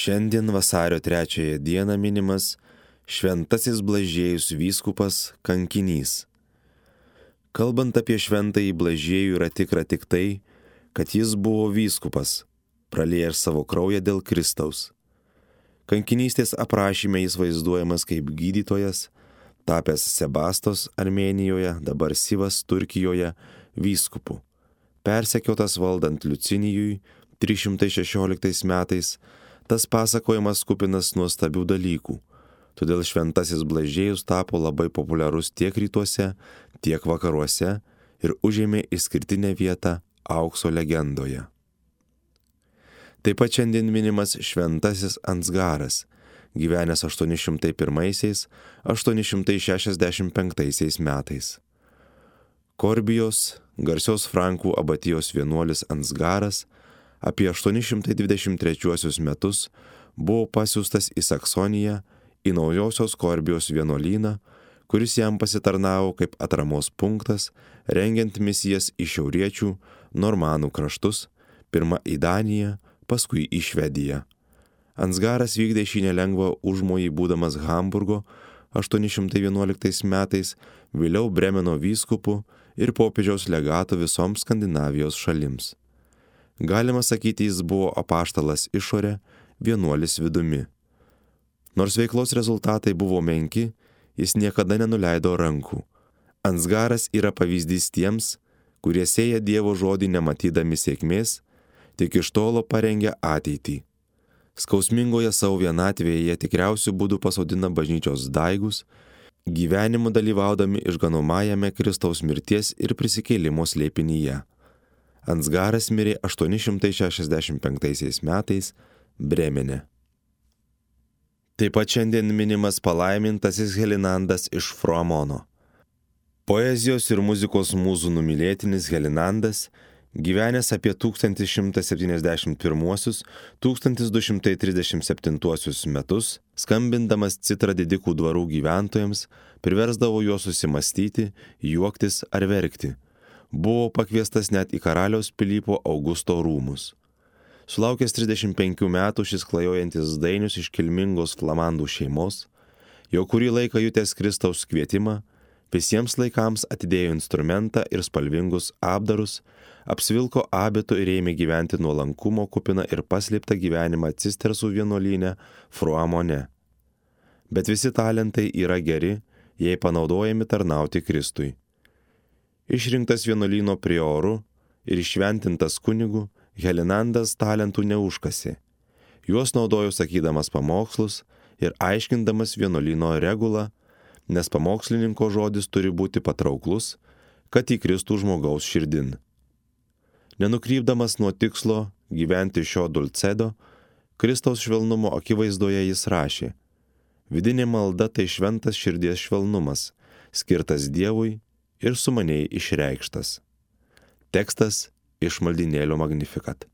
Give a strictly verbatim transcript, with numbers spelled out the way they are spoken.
Šiandien vasario trečiąją dieną minimas Šventasis Blažiejus vyskupas kankinys. Kalbant apie šventąjį Blažiejų yra tikra tik tai, kad jis buvo vyskupas, praliejęs savo kraują dėl Kristaus. Kankinystės aprašyme jis vaizduojamas kaip gydytojas, tapęs Sebastos Armėnijoje, dabar Sivas Turkijoje, vyskupu. Persekiotas valdant Liucinijui trys šimtai šešioliktais metais, tas pasakojimas kupinas nuostabių dalykų. Todėl šventasis Blažiejus tapo labai populiarus tiek rytuose, tiek vakaruose ir užėmė išskirtinę vietą aukso legendoje. Taip pat šiandien minimas šventasis Ansgaras, gyvenęs aštuoni šimtai pirmaisiais - aštuoni šimtai šešiasdešimt penktaisiais metais. Korbijos, garsios Frankų abatijos vienuolis Ansgaras, apie aštuoni šimtai dvidešimt trečiuosius metus buvo pasiųstas į Saksoniją, į naujosios Korbijos vienuolyną, kuris jam pasitarnavo kaip atramos punktas, rengiant misijas į šiauriečių normanų kraštus, pirma į Daniją, paskui į Švediją. Ansgaras vykdė šį nelengvą užmojį būdamas Hamburgo aštuoni šimtai vienuoliktais metais, vėliau Bremeno vyskupu ir popiežiaus legatu visoms Skandinavijos šalims. Galima sakyti, jis buvo apaštalas išorė, vienuolis vidumi. Nors veiklos rezultatai buvo menki, jis niekada nenuleido rankų. Ansgaras yra pavyzdys tiems, kurie sėja Dievo žodį nematydami sėkmės, tik iš tolo parengia ateitį. Skausmingoje savo vienatvėje jie tikriausių būdų pasodina bažnyčios daigus, gyvenimu dalyvaudami išganomajame Kristaus mirties ir prisikėlimo slėpinyje. Ansgaras mirė aštuoni šimtai šešiasdešimt penktaisiais metais Bremene. Taip pat šiandien minimas palaimintasis Helinandas iš Froamono. Poezijos ir muzikos mūzų numylėtinis Helinandas, gyvenęs apie tūkstantis šimtas septyniasdešimt pirmuosius - tūkstantis du šimtai trisdešimt septintuosius metus, skambindamas citrą didikų dvarų gyventojams, priversdavo juos susimastyti, juoktis ar verkti. Buvo pakviestas net į karaliaus Pilypo Augusto rūmus. Sulaukęs trisdešimt penkių metų šis klajojantis dainius iš kilmingos flamandų šeimos, jau kurį laiką jutęs Kristaus kvietimą, visiems laikams atidėjo instrumentą ir spalvingus apdarus, apsivilko abitu ir ėmė gyventi nuolankumo kupiną ir paslėptą gyvenimą Cistersų vienuolyne Froamone. Bet visi talentai yra geri, jei panaudojami tarnauti Kristui. Išrinktas vienuolyno prioru ir iššventintas kunigu, Helinandas talentų neužkasė. Juos naudojo sakydamas pamokslus ir aiškindamas vienuolyno regulą, nes pamokslininko žodis turi būti patrauklus, kad įkristų žmogaus širdin. Nenukrypdamas nuo tikslo gyventi šio dulcedo, Kristaus švelnumo akivaizdoje jis rašė: vidinė malda tai šventas širdies švelnumas, skirtas Dievui ir sumaniai išreikštas. Tekstas iš maldynėlio Magnificat.